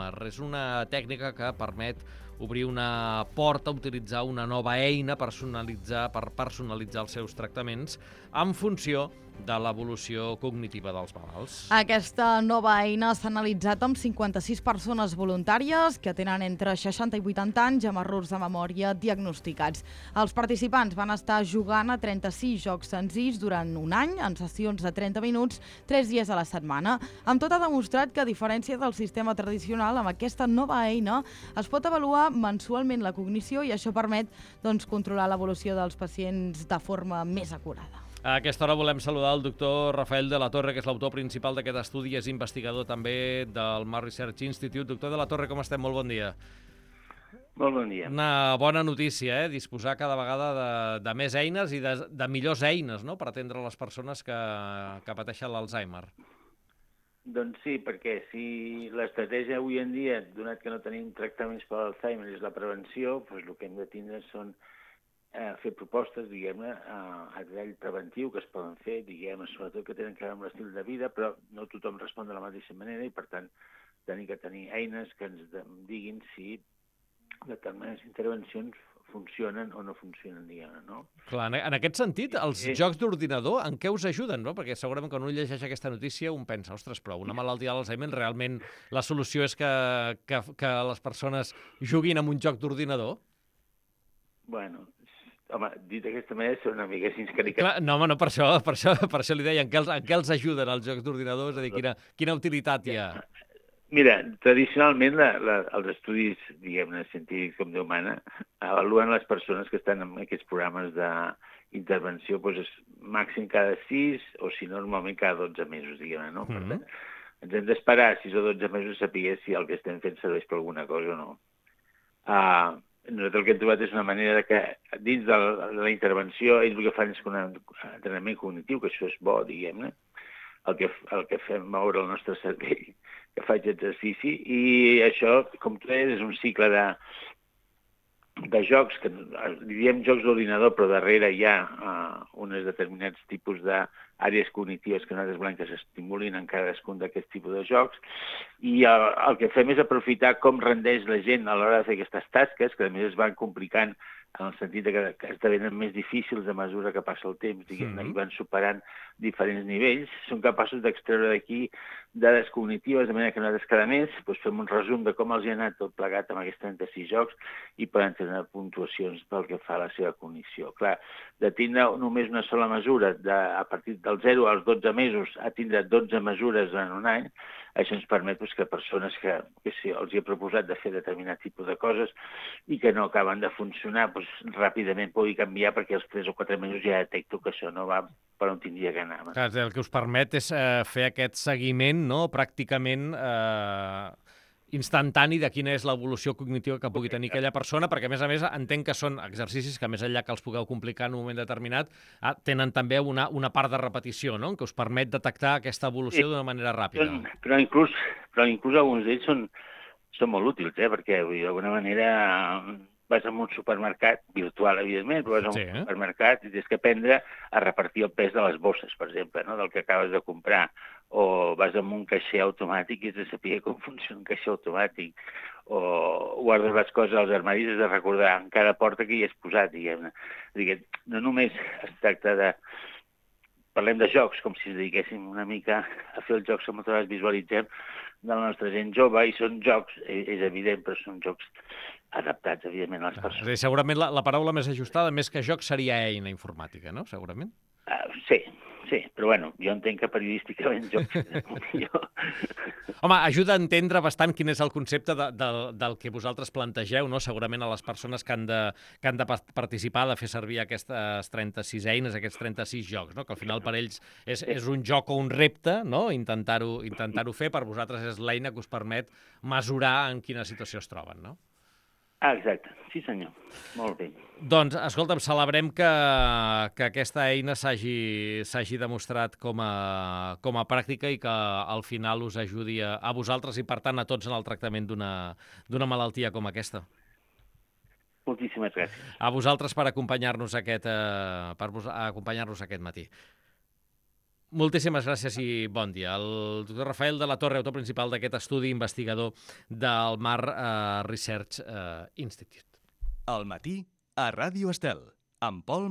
Alzheimer. És una tècnica que permet obrir una porta, utilitzar una nova eina per personalitzar els seus tractaments en funció de l'evolució cognitiva dels malalts. Aquesta nova eina s'ha analitzat amb 56 persones voluntàries que tenen entre 60 i 80 anys amb errors de memòria diagnosticats. Els participants van estar jugant a 36 jocs senzills durant un any, en sessions de 30 minuts, 3 dies a la setmana. Amb tot ha demostrat que, a diferència del sistema tradicional, amb aquesta nova eina es pot avaluar mensualment la cognició i això permet controlar l'evolució dels pacients de forma més acurada. A aquesta hora volem saludar el doctor Rafael de la Torre, que és l'autor principal d'aquest estudi, és investigador també del Mar Research Institute. Doctor de la Torre, com estem? Molt bon dia. Molt bon dia. Una bona notícia, disposar cada vegada de més eines i de millors eines, no?, per atendre les persones que pateixen l'Alzheimer. Doncs sí, perquè si l'estratègia avui en dia, donat que no tenim tractaments per l'Alzheimer, és la prevenció, doncs el que hem de tindre són fer propostes, diguem-ne, a nivell preventiu que es poden fer, diguem-ne, sobretot que tenen que veure amb l'estil de vida, però no tothom respon de la mateixa manera i, per tant, tenim que tenir eines que ens diguin si determinades intervencions funcionen o no funcionen, diguem-ne, no? Clar, en aquest sentit, els jocs d'ordinador en què us ajuden, no? Perquè segurament quan un llegeix aquesta notícia un pensa, ostres, però una malaltia d'Alzheimer realment la solució és que les persones juguin amb un joc d'ordinador? Bueno, home, dit d'aquesta manera són una mica caricatura. No, home, no, per això li deia, en què els ajuden els jocs d'ordinador? És a dir, quina utilitat hi ha? Mira, tradicionalment els estudis, diguem-ne, científics com Déu mana, avaluen les persones que estan en aquests programes d'intervenció doncs, màxim cada 6 o, si no, normalment cada 12 mesos, diguem-ne, no? Per tant, ens hem d'esperar 6 o 12 mesos a saber si el que estem fent serveix per alguna cosa o no. Nosaltres el que hem trobat és una manera que dins de la intervenció ells el que fan és un entrenament cognitiu, que això és bo, diguem-ne, el que fem moure el nostre cervell, que faig exercici, i això, com tu deies, és un cicle de jocs, que li diem jocs d'ordinador, però darrere hi ha uns determinats tipus d'àrees cognitives que nosaltres volem que s'estimulin en cadascun d'aquests tipus de jocs, i el que fem és aprofitar com rendeix la gent a l'hora de fer aquestes tasques, que a més es van complicant en el sentit que esdevenen més difícils a mesura que passa el temps, diguem-ne, i van superant diferents nivells, són capaços d'extreure d'aquí dades cognitives, de manera que nosaltres cada mes fem un resum de com els hi ha anat tot plegat amb aquests 36 jocs i poden tenir puntuacions pel que fa a la seva cognició. Clar, de tindre només una sola mesura, a partir del 0 als 12 mesos, a tindre 12 mesures en un any, això ens permet que persones que els hi he proposat de fer determinat tipus de coses i que no acaben de funcionar, ràpidament pugui canviar, perquè als 3 o 4 mesos ja detecto que això no va per on tindria que anar. Clar, el que us permet és fer aquest seguiment, no?, pràcticament instantani de quina és l'evolució cognitiva que pugui tenir aquella persona, perquè, a més, entenc que són exercicis que, més enllà que els pugueu complicar en un moment determinat, tenen també una part de repetició, no?, que us permet detectar aquesta evolució d'una manera ràpida. Però inclús alguns d'ells són molt útils, perquè d'alguna manera vas a un supermercat, virtual, evidentment, però vas a un supermercat i tens que aprendre a repartir el pes de les bosses, per exemple, no?, del que acabes de comprar, o vas a un caixer automàtic i has de saber com funciona un caixer automàtic, o guardes les coses als armaris, has de recordar en cada porta que hi has posat, diguem-ne. No només es tracta de... Parlem de jocs, com si ens dediquéssim una mica a fer els jocs que moltes vegades visualitzem de la nostra gent jove, i són jocs, és evident, però són jocs adaptats, evidentment, a les persones. És a dir, segurament la paraula més ajustada, més que joc, seria eina informàtica, no?, segurament? Sí, però bueno, jo entenc que periodísticament jocs millor. Home, ajuda a entendre bastant quin és el concepte del que vosaltres plantegeu, no?, segurament a les persones que han de participar, de fer servir aquestes 36 eines, aquests 36 jocs, no?, que al final per ells és un joc o un repte, no?, intentar-ho fer, per vosaltres és l'eina que us permet mesurar en quina situació es troben, no? Exacte, sí senyor, molt bé. Doncs, escolta'm, celebrem que aquesta eina s'hagi demostrat com a pràctica i que al final us ajudi a vosaltres i, per tant, a tots en el tractament d'una malaltia com aquesta. Moltíssimes gràcies. A vosaltres per acompanyar-nos aquest matí. Moltíssimes gràcies i bon dia. El doctor Rafael de la Torre, autor principal d'aquest estudi, investigador del Mar Research Institute. Al matí, a Ràdio Estel, amb Pol